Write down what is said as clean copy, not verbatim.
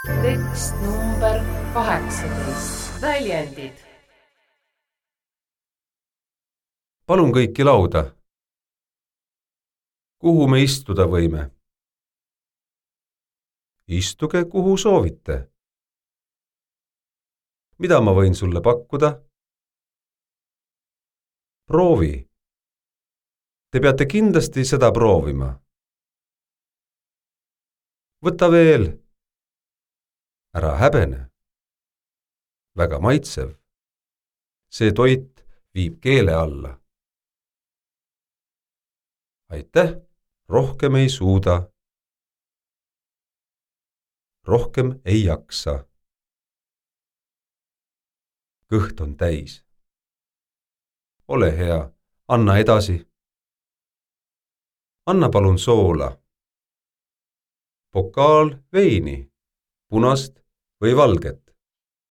Tekst number 18. Väljendid. Palun kõiki lauda. Kuhu me istuda võime? Istuge, kuhu soovite. Mida ma võin sulle pakkuda? Proovi. Te peate kindlasti seda proovima. Võta veel. Ära häbene. Väga maitsev. See toit viib keele alla. Aitäh, rohkem ei suuda. Rohkem ei jaksa. Kõht on täis. Ole hea, anna edasi. Anna palun soola. Pokaal veini, punast või valget.